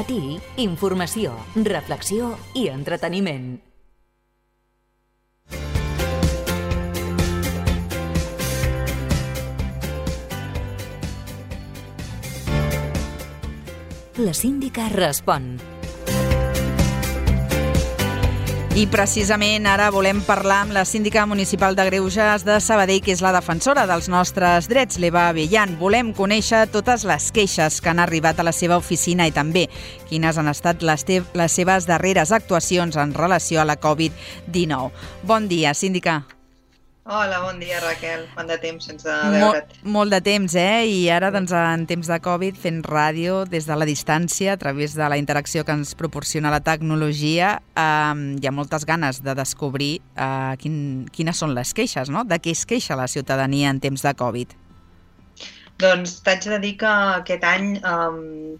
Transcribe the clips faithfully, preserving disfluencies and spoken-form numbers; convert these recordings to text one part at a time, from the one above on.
matí, informació, reflexió i entreteniment. La síndica respon. I precisament ara volem parlar amb la síndica municipal de Greuges de Sabadell, que és la defensora dels nostres drets, l'Eva Abellán. Volem conèixer totes les queixes que han arribat a la seva oficina i també quines han estat les, te- les seves darreres actuacions en relació a la covid dinou. Bon dia, síndica. Hola, bon dia, Raquel. Quant de temps sense Mol, veure't. molt de temps, eh? I ara, doncs, en temps de Covid, fent ràdio des de la distància, a través de la interacció que ens proporciona la tecnologia, eh, hi ha moltes ganes de descobrir eh, quin, quines són les queixes, no? De què es queixa la ciutadania en temps de Covid. Doncs t'haig de dir que aquest any um,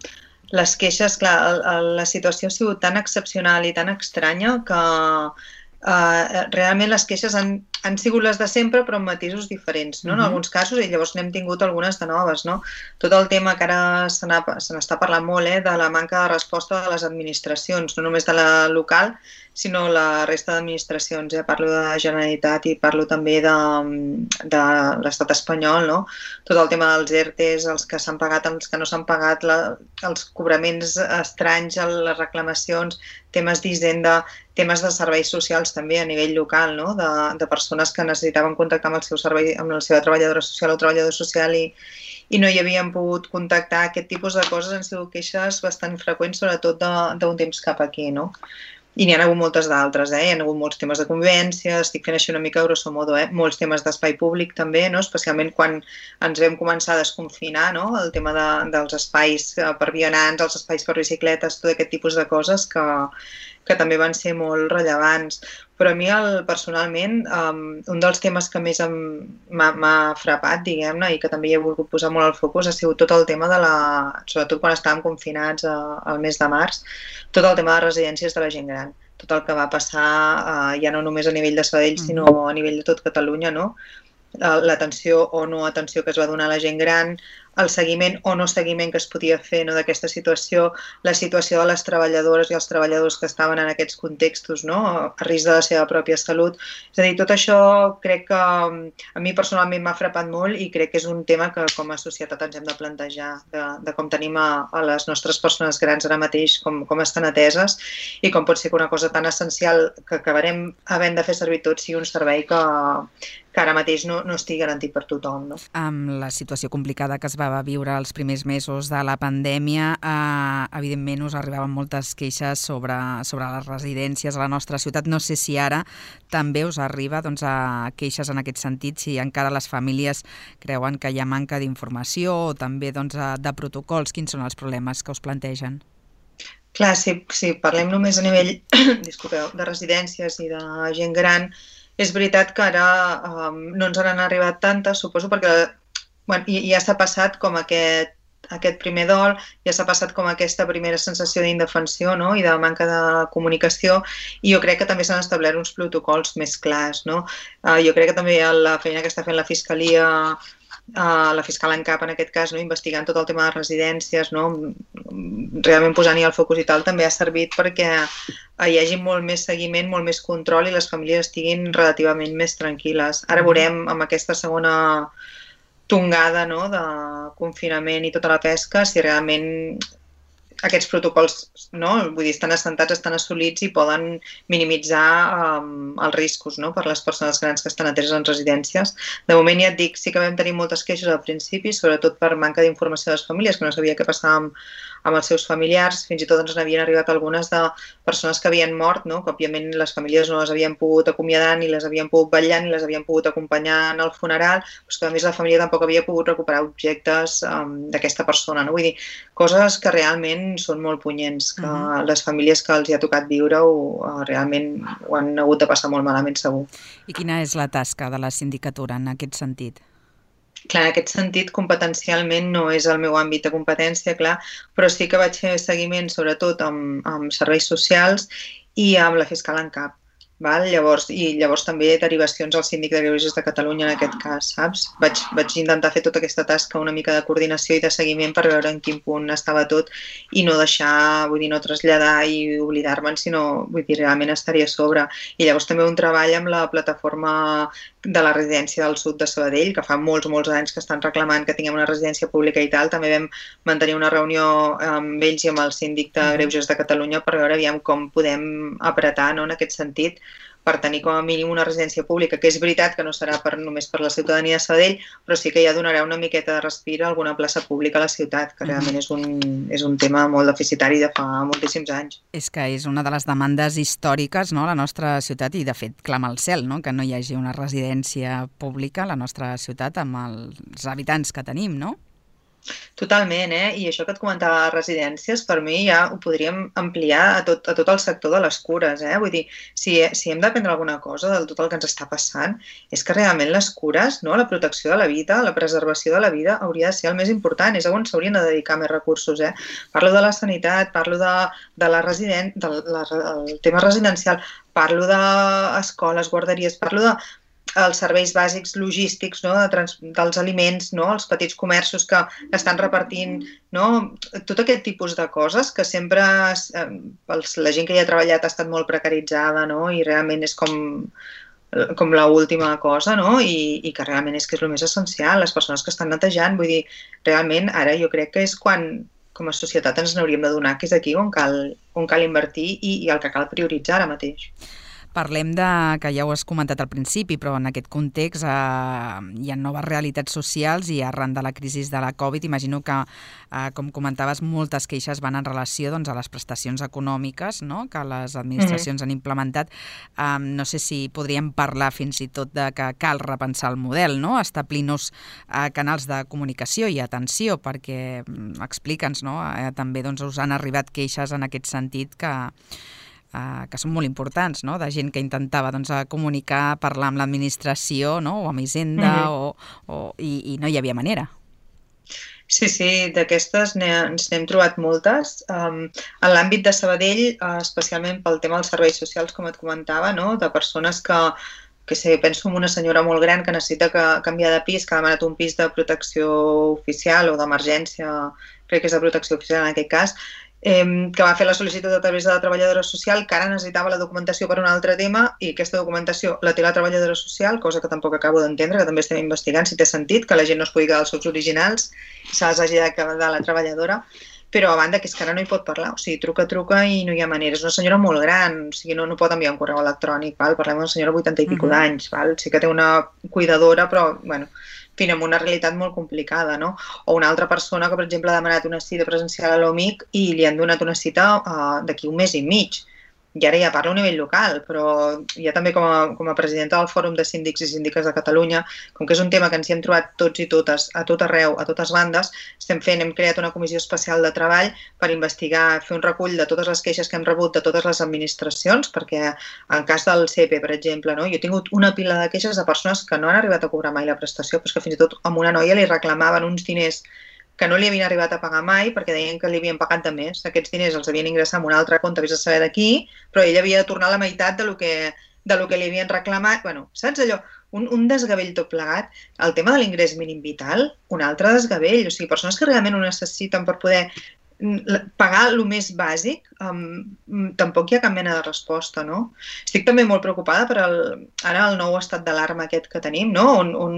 les queixes, clar, el, el, la situació ha sigut tan excepcional i tan estranya que uh, realment les queixes han, han sigut les de sempre però amb matisos diferents, no? En alguns casos, i llavors n'hem tingut algunes de noves, no? Tot el tema que ara se n'està parlant molt, eh, de la manca de resposta de les administracions, no només de la local, sinó la resta d'administracions. Eh? Parlo de Generalitat i parlo també de, de l'estat espanyol, no? Tot el tema dels ERTEs, els que s'han pagat, els que no s'han pagat, la, els cobraments estranys, les reclamacions, temes d'Hisenda, temes de serveis socials també a nivell local, no? de, de persones que necessitaven contactar amb el seu servei, amb la seva treballadora social o treballador social i, i no hi havien pogut contactar. Aquest tipus de coses han sigut queixes bastant freqüents, sobretot d'un temps cap aquí, no? I n'hi ha hagut moltes d'altres, eh? Hi ha hagut molts temes de convivència, estic fent així una mica grosso modo, eh? Molts temes d'espai públic també, no? Especialment quan ens vam començar a desconfinar, no? El tema de, dels espais per vianants, els espais per bicicletes, tot aquest tipus de coses que, que també van ser molt rellevants. Però a mi, el, personalment, um, un dels temes que més m'ha frapat, diguem-ne, i que també hi he volgut posar molt al focus, ha sigut tot el tema de la... sobretot quan estàvem confinats a, al mes de març, tot el tema de residències de la gent gran. Tot el que va passar, uh, ja no només a nivell de Sabadell, sinó a nivell de tot Catalunya, no? L'atenció o no atenció que es va donar a la gent gran, el seguiment o no seguiment que es podia fer, no, d'aquesta situació, la situació de les treballadores i els treballadors que estaven en aquests contextos, no, a risc de la seva pròpia salut. És a dir, tot això crec que a mi personalment m'ha frapat molt i crec que és un tema que com a societat ens hem de plantejar, de, de com tenim a, a les nostres persones grans ara mateix, com, com estan ateses i com pot ser que una cosa tan essencial que acabarem havent de fer servir tots sigui un servei que, que ara mateix no, no estigui garantit per tothom, no? Amb la situació complicada que es va viure els primers mesos de la pandèmia, eh, evidentment us arribaven moltes queixes sobre, sobre les residències a la nostra ciutat. No sé si ara també us arriba, doncs, a queixes en aquest sentit, si encara les famílies creuen que hi ha manca d'informació o també, doncs, de protocols. Quins són els problemes que us plantegen? Clar, si, si parlem només a nivell disculpeu, de residències i de gent gran, és veritat que ara um, no ens han arribat tantes, suposo, perquè bueno, ja s'ha passat com aquest, aquest primer dol, ja s'ha passat com aquesta primera sensació d'indefensió, no? I de manca de comunicació, i jo crec que també s'han establert uns protocols més clars, no? Uh, jo crec que també la feina que està fent la Fiscalia, uh, la fiscal en cap en aquest cas, no? Investigant tot el tema de residències, no? Realment posant-hi el focus i tal, també ha servit perquè hi hagi molt més seguiment, molt més control i les famílies estiguin relativament més tranquil·les. Ara veurem amb aquesta segona tongada, no, de confinament i tota la pesca, si realment aquests protocols, no, vull dir, estan assentats, estan assolits i poden minimitzar um, els riscos, no, per les persones grans que estan ateses en residències. De moment, ja et dic, sí que vam tenir moltes queixes al principi, sobretot per manca d'informació de les famílies, que no sabia què passava amb, amb els seus familiars, fins i tot ens n'havien arribat algunes de persones que havien mort, no? Que òbviament les famílies no les havien pogut acomiadar ni les havien pogut vetllar ni les havien pogut acompanyar en el funeral, però que a més la família tampoc havia pogut recuperar objectes um, d'aquesta persona, no? Vull dir, coses que realment són molt punyents, que uh-huh. les famílies que els hi ha tocat viure-ho uh, realment ho han hagut de passar molt malament, segur. I quina és la tasca de la sindicatura en aquest sentit? Clar, en aquest sentit, competencialment no és el meu àmbit de competència, clar, però sí que vaig fer seguiment sobretot amb, amb serveis socials i amb la fiscal en cap. Val? Llavors, i llavors també derivacions al Síndic de Greuges de Catalunya en aquest cas, saps? Vaig, vaig intentar fer tota aquesta tasca una mica de coordinació i de seguiment per veure en quin punt estava tot i no deixar, vull dir, no traslladar i oblidar-me'n, sinó, vull dir, realment estaria a sobre. I llavors també un treball amb la plataforma de la residència del sud de Sabadell, que fa molts, molts anys que estan reclamant que tinguem una residència pública i tal. També vam mantenir una reunió amb ells i amb el Síndic de Greuges de Catalunya per veure aviam com podem apretar, no, en aquest sentit, per tenir com a mínim una residència pública, que és veritat que no serà per, només per la ciutadania de Sabadell, però sí que ja donarà una miqueta de respir a alguna plaça pública a la ciutat, que realment és un, és un tema molt deficitari de fa moltíssims anys. És que és una de les demandes històriques, no?, a la nostra ciutat, i de fet clama al cel, no?, que no hi hagi una residència pública a la nostra ciutat amb els habitants que tenim, no? Totalment, eh? I això que et comentava de residències, per mi ja ho podríem ampliar a tot, a tot el sector de les cures, eh? Vull dir, si, si hem d'aprendre alguna cosa del tot el que ens està passant, és que realment les cures, no?, la protecció de la vida, la preservació de la vida hauria de ser el més important, és on s'haurien de dedicar més recursos, eh? Parlo de la sanitat, parlo de, de la resident, del la, el tema residencial, parlo d'escoles, guarderies, parlo de els serveis bàsics logístics, no?, de trans, dels aliments, no?, els petits comerços que estan repartint, no?, tot aquest tipus de coses que sempre eh, els, la gent que hi ha treballat ha estat molt precaritzada, no?, i realment és com, com l'última cosa, no?, I, i que realment és que és el més essencial, les persones que estan netejant, vull dir, realment ara jo crec que és quan com a societat ens n'hauríem de donar, que és aquí on cal, on cal invertir i, i el que cal prioritzar ara mateix. Parlem de, que ja ho has comentat al principi, però en aquest context eh, hi ha noves realitats socials i arran de la crisi de la Covid, imagino que, eh, com comentaves, moltes queixes van en relació, doncs, a les prestacions econòmiques, no?, que les administracions mm-hmm. han implementat. Eh, no sé si podríem parlar fins i tot de que cal repensar el model, no?, establir nous eh, canals de comunicació i atenció, perquè explica'ns, no?, eh, també doncs, us han arribat queixes en aquest sentit que Uh, que són molt importants, no?, de gent que intentava doncs, comunicar, parlar amb l'administració, no?, o amb Hisenda, mm-hmm. o, o, i, i no hi havia manera. Sí, sí, d'aquestes ens n'hem trobat moltes. Um, en l'àmbit de Sabadell, uh, especialment pel tema dels serveis socials, com et comentava, no?, de persones que, que sé, penso en una senyora molt gran que necessita que, canviar de pis, que ha demanat un pis de protecció oficial o d'emergència, crec que és de protecció oficial en aquest cas, Eh, que va fer la sol·licitud a través de la treballadora social, que ara necessitava la documentació per un altre tema i aquesta documentació la té la treballadora social, cosa que tampoc acabo d'entendre, que també estem investigant si té sentit, que la gent no es pugui quedar els seus originals, se les hagi de quedar la treballadora, però a banda que és que ara no hi pot parlar, o sigui, truca, truca i no hi ha manera. És una senyora molt gran, o sigui, no, no pot enviar un correu electrònic, val? Parlem d'una senyora de vuitanta i pico uh-huh. d'anys, val? Sí que té una cuidadora, però, bueno, fin, amb una realitat molt complicada, no? O una altra persona que, per exemple, ha demanat una cita presencial a l'O M I C i li han donat una cita uh, d'aquí un mes i mig. I ara ja parlo a nivell local, però ja també com a, com a presidenta del Fòrum de Síndics i Síndiques de Catalunya, com que és un tema que ens hi hem trobat tots i totes, a tot arreu, a totes bandes, estem fent, hem creat una comissió especial de treball per investigar, fer un recull de totes les queixes que hem rebut de totes les administracions, perquè en cas del C E P, per exemple, no? Jo he tingut una pila de queixes de persones que no han arribat a cobrar mai la prestació, però que fins i tot a una noia li reclamaven uns diners que no li havien arribat a pagar mai perquè deien que li havien pagat de més. Aquests diners els havien ingressat en un altre compte, vés a saber d'aquí, però ell havia de tornar la meitat de lo que, de lo que li havien reclamat. Bueno, saps allò? Un, un desgavell tot plegat. El tema de l'ingrés mínim vital, un altre desgavell. O sigui, persones que realment ho necessiten per poder pagar el més bàsic, um, tampoc hi ha cap mena de resposta, no? Estic també molt preocupada per el, ara el nou estat d'alarma aquest que tenim, no? On, on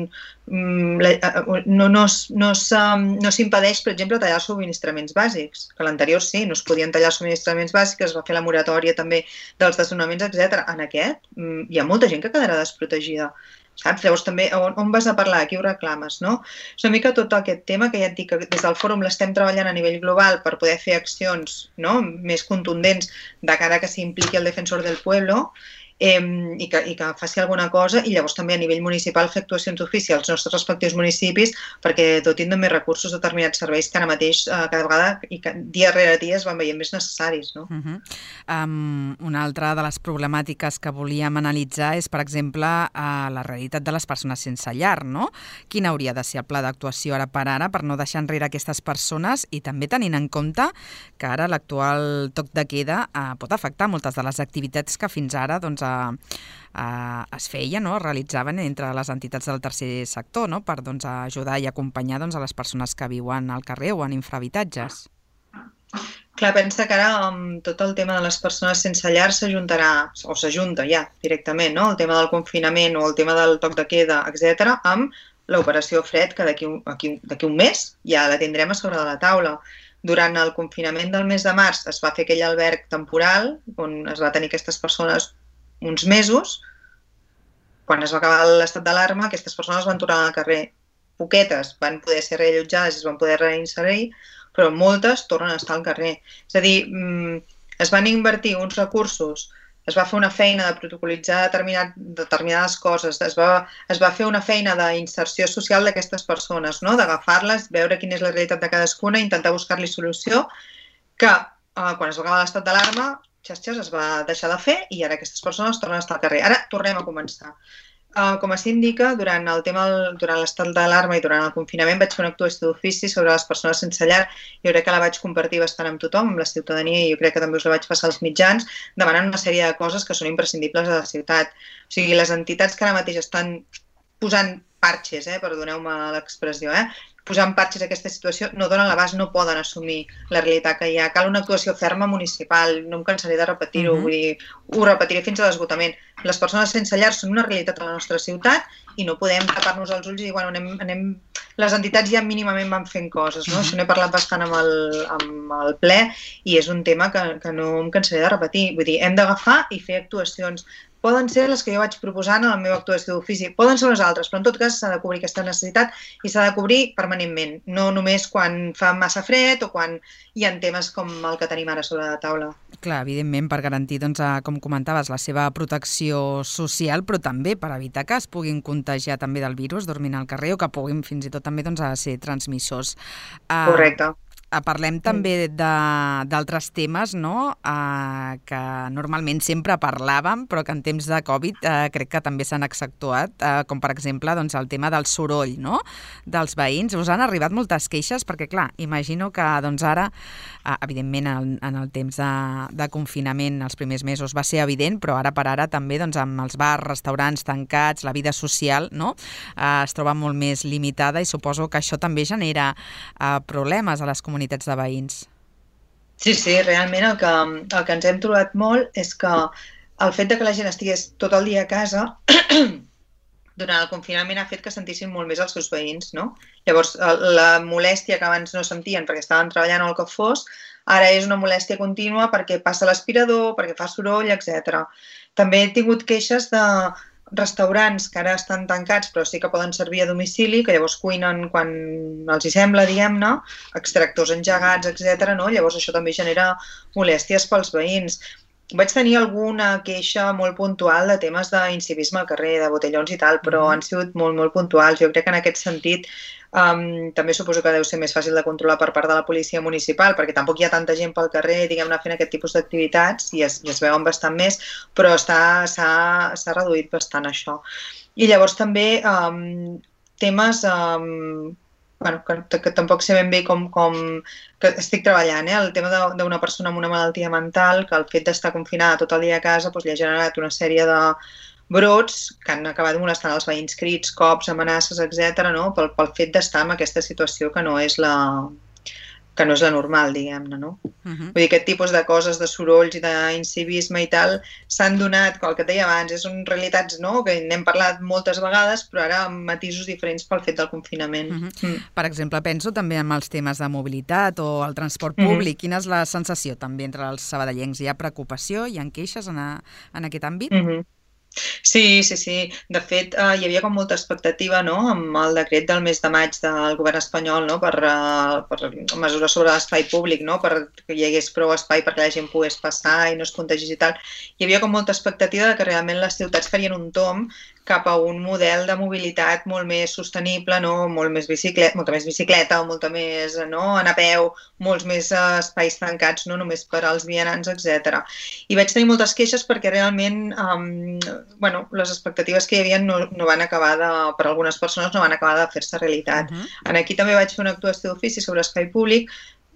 um, la, no, no, no s'impedeix, per exemple, tallar els subministraments bàsics, que l'anterior sí, no es podien tallar els subministraments bàsics, es va fer la moratòria també dels desnonaments, etcètera. En aquest um, hi ha molta gent que quedarà desprotegida. Saps? Llavors també on, on vas a parlar, a qui ho reclames, no? És una mica tot aquest tema que ja et dic que des del fòrum l'estem treballant a nivell global per poder fer accions, no?, més contundents de cara que s'impliqui el defensor del pueblo eh, i, que, i que faci alguna cosa, i llavors també a nivell municipal fer actuacions d'ofici als nostres respectius municipis perquè dotin de més recursos determinats serveis que ara mateix eh, cada vegada i que dia rere dia es van veient més necessaris, no? Uh-huh. um, una altra de les problemàtiques que volíem analitzar és, per exemple, uh, la realitat de les persones sense llar, no? Quin hauria de ser el pla d'actuació ara per ara per no deixar enrere aquestes persones i també tenint en compte que ara l'actual toc de queda uh, pot afectar moltes de les activitats que fins ara doncs, eh, eh, es feia, no? Es realitzaven entre les entitats del tercer sector, no? Per doncs, ajudar i acompanyar doncs, a les persones que viuen al carrer o en infrahabitatges. Clar, pensa que ara amb tot el tema de les persones sense llar s'ajuntarà, o s'ajunta ja directament, no? El tema del confinament o el tema del toc de queda, etcètera, amb l'operació Fred, que d'aquí un mes ja la tindrem a sobre de la taula. Durant el confinament del mes de març es va fer aquell alberg temporal on es va tenir aquestes persones uns mesos. Quan es va acabar l'estat d'alarma, aquestes persones van tornar al carrer. Poquetes van poder ser reallotjades i es van poder reinserir, però moltes tornen a estar al carrer. És a dir, es van invertir uns recursos, es va fer una feina de protocolitzar determinat, determinades coses, es va, es va fer una feina d'inserció social d'aquestes persones, no? D'agafar-les, veure quina és la realitat de cadascuna, intentar buscar-li solució, que eh, quan es va acabar l'estat d'alarma, xas-xas, es va deixar de fer i ara aquestes persones tornen a estar al carrer. Ara tornem a començar. Uh, com a síndica, durant el tema durant l'estat d'alarma i durant el confinament vaig fer una actuació d'ofici sobre les persones sense llar. Jo crec que la vaig compartir bastant amb tothom, amb la ciutadania, i jo crec que també us la vaig passar als mitjans, demanant una sèrie de coses que són imprescindibles a la ciutat. O sigui, les entitats que ara mateix estan posant parxes, eh, perdoneu-me l'expressió, eh, posant parxes a aquesta situació, no donen l'abast, no poden assumir la realitat que hi ha. Cal una actuació ferma municipal, no em cansaré de repetir-ho, uh-huh. vull dir, ho repetiré fins a l'esgotament. Les persones sense llar són una realitat a la nostra ciutat i no podem tapar-nos els ulls i dir, bueno, anem, anem... les entitats ja mínimament van fent coses, no? Uh-huh. Això n'he parlat bastant amb el, amb el ple i és un tema que, que no em cansaré de repetir. Vull dir, hem d'agafar i fer actuacions. Poden ser les que jo vaig proposant en la meva actuació d'ofici, poden ser les altres, però en tot cas s'ha de cobrir aquesta necessitat i s'ha de cobrir permanentment, no només quan fa massa fred o quan hi ha temes com el que tenim ara sobre la taula. Clar, evidentment, per garantir, doncs, com comentaves, la seva protecció social, però també per evitar que es puguin contagiar també del virus dormint al carrer o que puguin fins i tot també doncs, a ser transmissors. Correcte. Uh, Parlem també d'altres temes, no? Uh, que normalment sempre parlàvem, però que en temps de Covid uh, crec que també s'han accentuat, uh, com per exemple doncs, el tema del soroll, no? Dels veïns. Us han arribat moltes queixes perquè, clar, imagino que doncs, ara, uh, evidentment en, en el temps de, de confinament els primers mesos va ser evident, però ara per ara també doncs, amb els bars, restaurants tancats, la vida social, no? uh, es troba molt més limitada i suposo que això també genera uh, problemes a les comunitats de veïns. Sí, sí, realment el que, el que ens hem trobat molt és que el fet de que la gent estigués tot el dia a casa durant el confinament ha fet que sentissin molt més els seus veïns, no? Llavors, la molèstia que abans no sentien perquè estaven treballant o el que fos, ara és una molèstia contínua perquè passa l'aspirador, perquè fa soroll, etcètera. També he tingut queixes de restaurants que ara estan tancats però sí que poden servir a domicili, que llavors cuinen quan els hi sembla, diguem-ne, extractors engegats, etcètera. No? Llavors això també genera molèsties pels veïns. Vaig tenir alguna queixa molt puntual de temes d'incivisme al carrer, de botellons i tal, però han sigut molt, molt puntuals. Jo crec que en aquest sentit um, també suposo que deu ser més fàcil de controlar per part de la policia municipal, perquè tampoc hi ha tanta gent pel carrer, diguem-ne, fent aquest tipus d'activitats i es, i es veuen bastant més, però s'ha reduït bastant això. I llavors també um, temes... Um, Bueno, que, que tampoc sé ben bé com, com que estic treballant, eh? El tema d'una persona amb una malaltia mental, que el fet d'estar confinada tot el dia a casa doncs, li ha generat una sèrie de brots que han acabat molestant els veïns, crits, cops, amenaces, etcètera, no? pel, pel fet d'estar en aquesta situació que no és la, que no és la normal, diguem-ne, no? Uh-huh. Vull dir, aquest tipus de coses, de sorolls i d'incivisme i tal, s'han donat, com el que et deia abans, són realitats, no?, que n'hem parlat moltes vegades, però ara amb matisos diferents pel fet del confinament. Uh-huh. mm. Per exemple, penso també en els temes de mobilitat o el transport públic. Uh-huh. Quina és la sensació també entre els sabadellencs? Hi ha preocupació? Hi ha queixes en, a, en aquest àmbit? Uh-huh. Sí, sí, sí. De fet, eh, hi havia com molta expectativa, no?, amb el decret del mes de maig del govern espanyol, no?, per, uh, per mesures sobre l'espai públic, no?, perquè hi hagués prou espai perquè la gent pogués passar i no es contagis i tal. Hi havia com molta expectativa de que realment les ciutats farien un tomb cap a un model de mobilitat molt més sostenible, no?, molt més bicicleta, molta més bicicleta o molta més, no?, anar a peu, molts més uh, espais tancats, no només per als vianants, etcètera. I vaig tenir moltes queixes perquè realment um, bueno, les expectatives que hi havia no, no van acabar de, per algunes persones no van acabar de fer-se realitat. Uh-huh. En aquí també vaig fer una actuació d'ofici sobre espai públic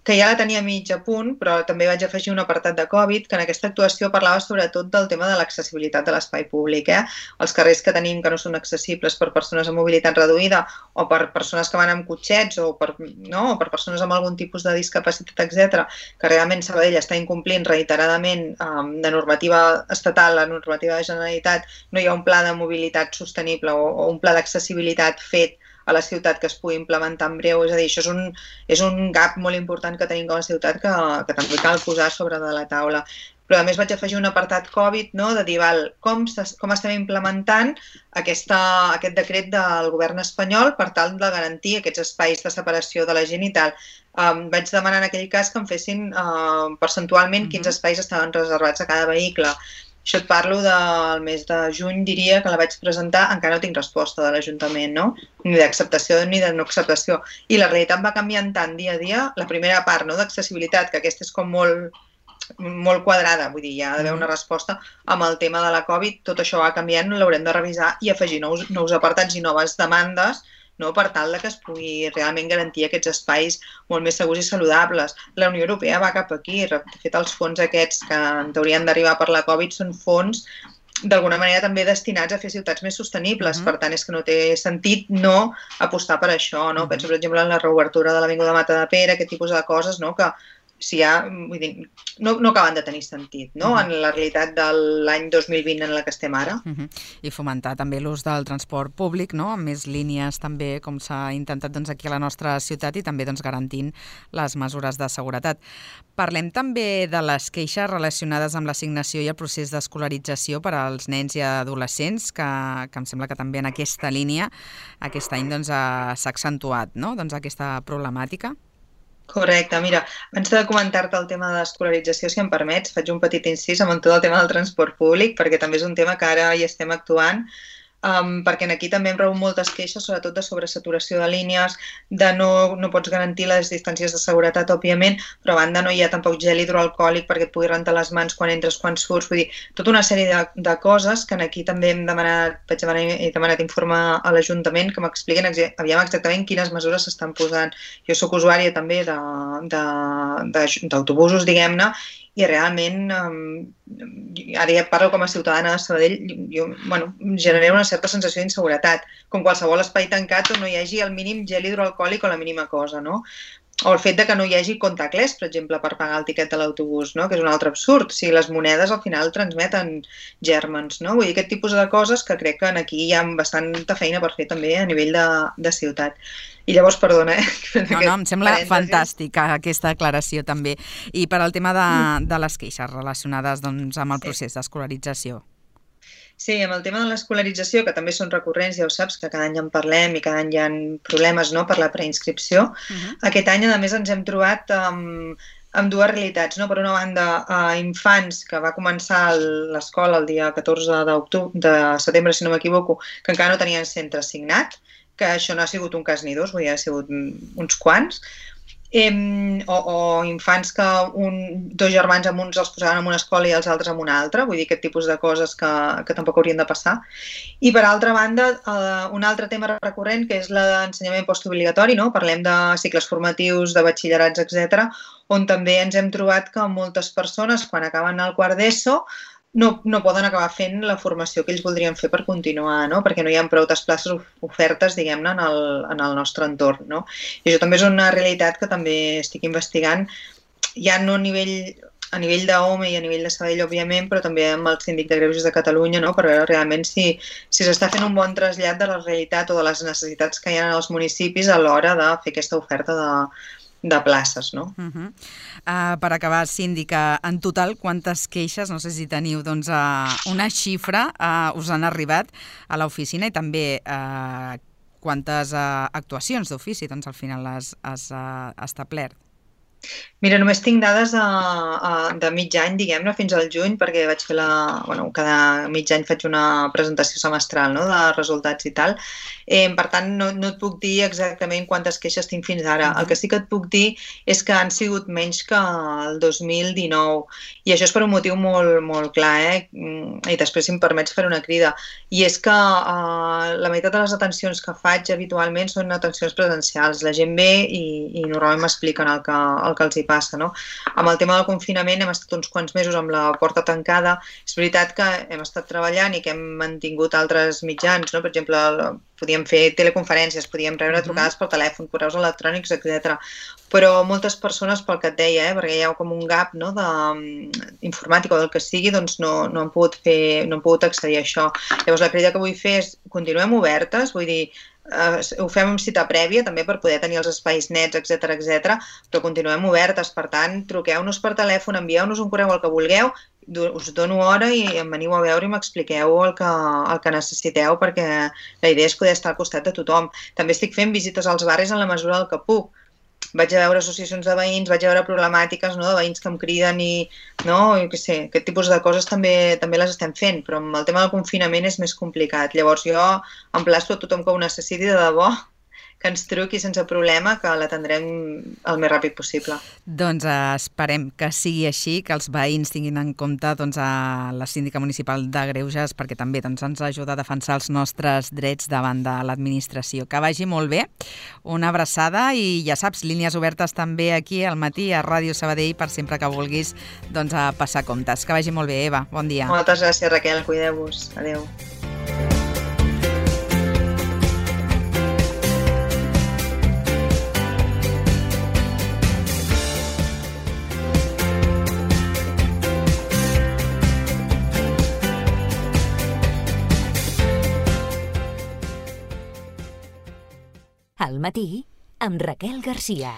que ja la tenia mig a punt, però també vaig afegir un apartat de Covid, que en aquesta actuació parlava sobretot del tema de l'accessibilitat de l'espai públic. Eh? Els carrers que tenim que no són accessibles per persones amb mobilitat reduïda o per persones que van amb cotxets o per, no? o per persones amb algun tipus de discapacitat, etcètera, que realment Sabadell està incomplint reiteradament um, de normativa estatal, la normativa de Generalitat, no hi ha un pla de mobilitat sostenible o, o un pla d'accessibilitat fet a la ciutat que es pugui implementar en breu. És a dir, això és un, és un gap molt important que tenim com a ciutat que, que també cal posar sobre de la taula. Però a més vaig afegir un apartat Covid, no? De dir, val, com, com estem implementant aquesta, aquest decret del govern espanyol per tal de garantir aquests espais de separació de la gent i tal. Um, vaig demanar en aquell cas que em fessin uh, percentualment quins espais estaven reservats a cada vehicle. Això et parlo del mes de juny, diria, que la vaig presentar, encara no tinc resposta de l'Ajuntament, no? Ni d'acceptació ni de no acceptació. I la realitat va canviant tant dia a dia. La primera part, no?, d'accessibilitat, que aquesta és com molt, molt quadrada, vull dir, hi ha d'haver una resposta amb el tema de la Covid, tot això va canviant, l'haurem de revisar i afegir nous, nous apartats i noves demandes, no? Per tal que es pugui realment garantir aquests espais molt més segurs i saludables. La Unió Europea va cap aquí. De fet, els fons aquests que en haurien d'arribar per la Covid són fons d'alguna manera també destinats a fer ciutats més sostenibles. Uh-huh. Per tant, és que no té sentit no apostar per això. No? Uh-huh. Penso, per exemple, en la reobertura de l'Avinguda Matadepera, aquest tipus de coses, no? Que si ha, vull dir, no, no acaben de tenir sentit, no? Uh-huh. En la realitat de l'any dos mil vint en la que estem ara. Uh-huh. I fomentar també l'ús del transport públic, no? Amb més línies també, com s'ha intentat doncs, aquí a la nostra ciutat i també doncs, garantint les mesures de seguretat. Parlem també de les queixes relacionades amb l'assignació i el procés d'escolarització per als nens i adolescents, que, que em sembla que també en aquesta línia aquest any doncs, s'ha accentuat, no? Doncs, aquesta problemàtica. Correcte. Mira, abans de comentar-te el tema de l'escolarització, si em permets, faig un petit incís amb tot el tema del transport públic, perquè també és un tema que ara hi estem actuant, um, perquè aquí també em rebut moltes queixes, sobretot de sobresaturació de línies, de no, no pots garantir les distàncies de seguretat, òbviament, però a banda no hi ha tampoc gel hidroalcohòlic perquè et pugui rentar les mans quan entres, quan surts, vull dir, tota una sèrie de, de coses que aquí també hem demanat, vaig demanar, he demanat informe a l'Ajuntament que m'expliquin aviam exactament quines mesures s'estan posant. Jo sóc usuària també d'autobusos, diguem-ne, i realment, um, ara ja parlo com a ciutadana de Sabadell, jo, bueno, genera una certa sensació d'inseguretat, com qualsevol espai tancat on no hi hagi el mínim gel hidroalcohòlic o la mínima cosa, no? O el fet de que no hi hagi contactless, per exemple, per pagar el tiquet de l'autobús, no? Que és un altre absurd. Si les monedes al final transmeten gèrmens, no? Vull dir, aquest tipus de coses que crec que aquí hi ha bastanta feina per fer també a nivell de, de ciutat. I llavors, perdona, eh? No, no, em sembla fantàstica aquesta aclaració també. I per al tema de, de les queixes relacionades doncs, amb el procés d'escolarització. Sí, amb el tema de l'escolarització, que també són recurrents, ja ho saps, que cada any en parlem i cada any hi ha problemes, no?, per la preinscripció. Uh-huh. Aquest any, a més, ens hem trobat amb, amb dues realitats, no? Per una banda, a infants, que va començar l'escola el dia catorze de setembre, si no m'equivoco, que encara no tenien centre assignat, que això no ha sigut un cas ni dos, vull dir, ha sigut uns quants. Eh, o, o infants que un, dos germans amb uns els posaven en una escola i els altres en una altra, vull dir, aquest tipus de coses que, que tampoc haurien de passar. I per altra banda, eh, un altre tema recurrent que és l'ensenyament postobligatori, no? Parlem de cicles formatius, de batxillerats, etcètera, on també ens hem trobat que moltes persones, quan acaben el quart d'ESO, No, no poden acabar fent la formació que ells voldrien fer per continuar, no? Perquè no hi ha prou places ofertes, diguem-ne, en, el, en el nostre entorn, no? I això també és una realitat que també estic investigant, ja no a nivell, a nivell d'O M E i a nivell de Sabadell, òbviament, però també amb el Síndic de Greuges de Catalunya, no? Per veure realment si si s'està fent un bon trasllat de la realitat o de les necessitats que hi ha als municipis a l'hora de fer aquesta oferta de de places, no? Uh-huh. Uh, per acabar, síndica, en total, quantes queixes, no sé si teniu doncs, uh, una xifra, uh, us han arribat a l'oficina i també uh, quantes uh, actuacions d'ofici doncs, al final has, has uh, establert? Mira, només tinc dades a, a, de mig any, diguem-ne, fins al juny, perquè vaig fer la... Bueno, cada mig any faig una presentació semestral, no?, de resultats i tal. Eh, per tant, no, no et puc dir exactament quantes queixes tinc fins ara. El que sí que et puc dir és que han sigut menys que el dos mil dinou. I això és per un motiu molt, molt clar, eh? I després, si em permets, fer una crida. I és que eh, la meitat de les atencions que faig habitualment són atencions presencials. La gent ve i, i normalment m'expliquen el que el que els hi passa, no? Amb el tema del confinament hem estat uns quants mesos amb la porta tancada. És veritat que hem estat treballant i que hem mantingut altres mitjans, no? Per exemple, podíem fer teleconferències, podíem rebre trucades per telèfon, correus electrònics, etcètera. Però moltes persones, pel que et deia, eh, perquè hi ha com un gap, no, de informàtica o del que sigui, doncs no, no han pogut fer, no han pogut accedir a això. Llavors la crida que vull fer és continuem obertes, vull dir, Uh, ho fem amb cita prèvia també per poder tenir els espais nets, etcètera, etcètera, però continuem obertes, per tant, truqueu-nos per telèfon, envieu-nos un correu el que vulgueu, us dono hora i em veniu a veure i m'expliqueu el que, el que necessiteu, perquè la idea és poder estar al costat de tothom. També estic fent visites als barris en la mesura del que puc. Vaig a veure associacions de veïns, vaig a veure problemàtiques, no, de veïns que em criden i, no, jo què sé, aquest tipus de coses també també les estem fent, però amb el tema del confinament és més complicat. Llavors jo emplaço a tothom que ho necessiti de debò, que ens truqui sense problema, que l'atendrem el més ràpid possible. Doncs eh, esperem que sigui així, que els veïns tinguin en compte doncs, a la síndica municipal de Greuges, perquè també doncs, ens ajuda a defensar els nostres drets davant de l'administració. Que vagi molt bé, una abraçada i ja saps, línies obertes també aquí al matí a Ràdio Sabadell per sempre que vulguis doncs, a passar comptes. Que vagi molt bé, Eva. Bon dia. Moltes gràcies, Raquel. Cuideu-vos. Adéu. Al matí, amb Raquel Garcia.